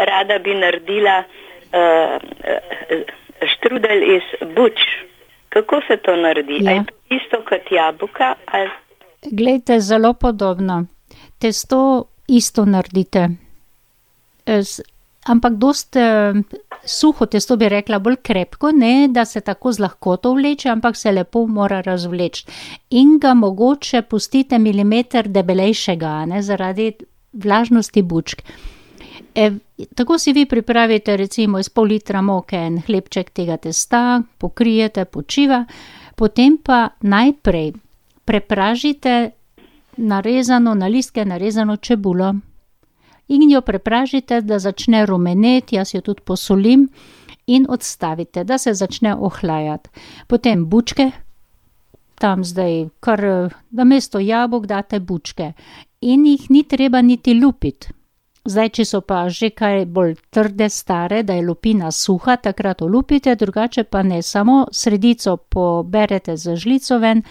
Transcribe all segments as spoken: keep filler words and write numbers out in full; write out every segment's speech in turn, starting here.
rada bi naredila uh, uh, štrudel iz buč. Kako se to naredi? Ja. Je to isto kot jabolka? Ali... Glejte, zelo podobno. Testo isto naredite. S, ampak dost eh, suho testo bi rekla, bolj krepko, ne da se tako z lahkoto vleče, ampak se lepo mora razvleči. In ga mogoče pustite milimeter debelejšega, ne, zaradi vlažnosti bučk. E, tako si vi pripravite recimo iz pol litra moke en hlebček tega testa, pokrijete, počiva, potem pa najprej prepražite narezano, na listke narezano čebulo in jo prepražite, da začne rumeneti, jaz jo tudi posolim in odstavite, da se začne ohlajati. Potem bučke, tam zdaj kar, da mesto jabolk date bučke in jih ni treba niti lupiti. Zdaj, če so pa že kaj bolj trde, stare, da je lupina suha, takrat olupite, drugače pa ne, samo sredico poberete za žlico ven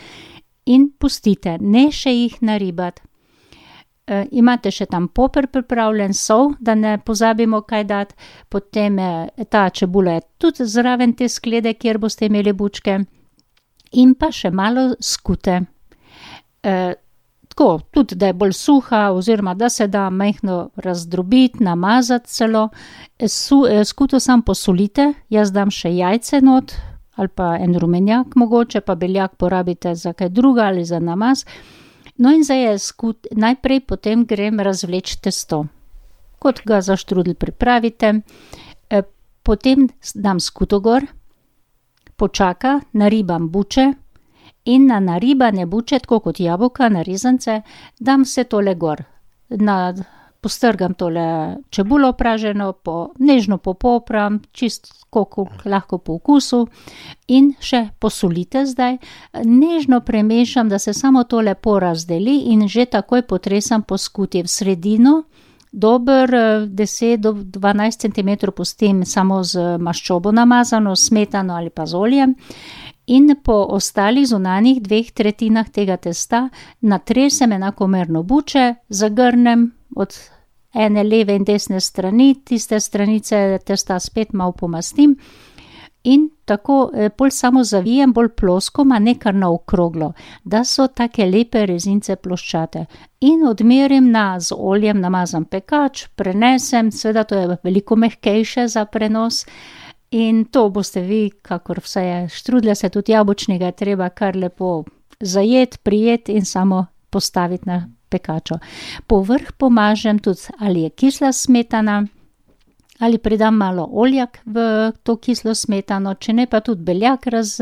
in pustite, ne še jih naribati. E, imate še tam poper pripravljen, sol, da ne pozabimo kaj dati, potem je, ta čebula je tudi zraven te sklede, kjer boste imeli bučke in pa še malo skute. E, tako, tudi da je bolj suha oziroma da se da majhno razdrobiti, namazati celo. Su, skuto sam posolite, jaz dam še jajce not ali pa en rumenjak mogoče, pa beljak porabite za kaj druga ali za namaz. No in zdaj je skut, najprej potem grem razvleči testo. Kot ga za štrudel pripravite, e, potem dam skuto gor, počaka, naribam buče in na naribane buče, tako kot jabolka, na rezance, dam vse tole gor. Na, postrgam tole čebulo praženo, po, nežno popopram, čisto koliko lahko po okusu in še posolite zdaj. Nežno premešam, da se samo to lepo razdeli in že takoj potresam po skuti v sredino. Dober deset do dvanajst centimetrov pustim samo z maščobo namazano, smetano ali pa z oljem. In po ostalih zunanjih dveh tretjinah tega testa natresem enakomerno buče, zagrnem od ene leve in desne strani, tiste stranice testa spet malo pomastim in tako bolj samo zavijem, bolj plosko, ma ne kar naokroglo, da so take lepe rezince ploščate. In odmerim na z oljem namazan pekač, prenesem, seveda to je veliko mehkejše za prenos. In to boste vi, kakor vse je, štrudlja se tudi jabolčnega, treba kar lepo zajeti, prijeti in samo postaviti na pekačo. Povrh pomažem tudi, ali je kisla smetana, ali pridam malo oljak v to kislo smetano, če ne pa tudi beljak raz,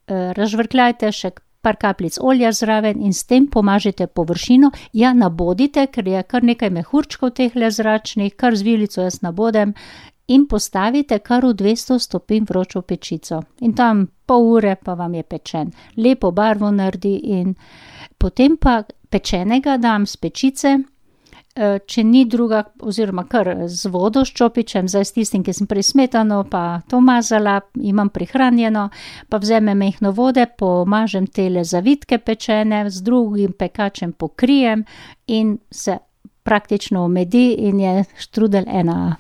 razžvrkljajte, še par kapljic olja zraven in s tem pomažite površino. Ja, nabodite, ker je kar nekaj mehurčkov tehle zračnih, kar z vilico jaz nabodem, in postavite kar v dvesto stopinj vročo pečico. In tam pol ure pa vam je pečen. Lepo barvo naredi in potem pa pečenega dam z pečice, če ni druga, oziroma kar z vodo s čopičem, zdaj s tistim, ki sem prej smetano pa to mazala, imam prihranjeno, pa vzemem mehno vode, pomažem tele zavitke pečene, z drugim pekačem pokrijem in se praktično omedi in je štrudel ena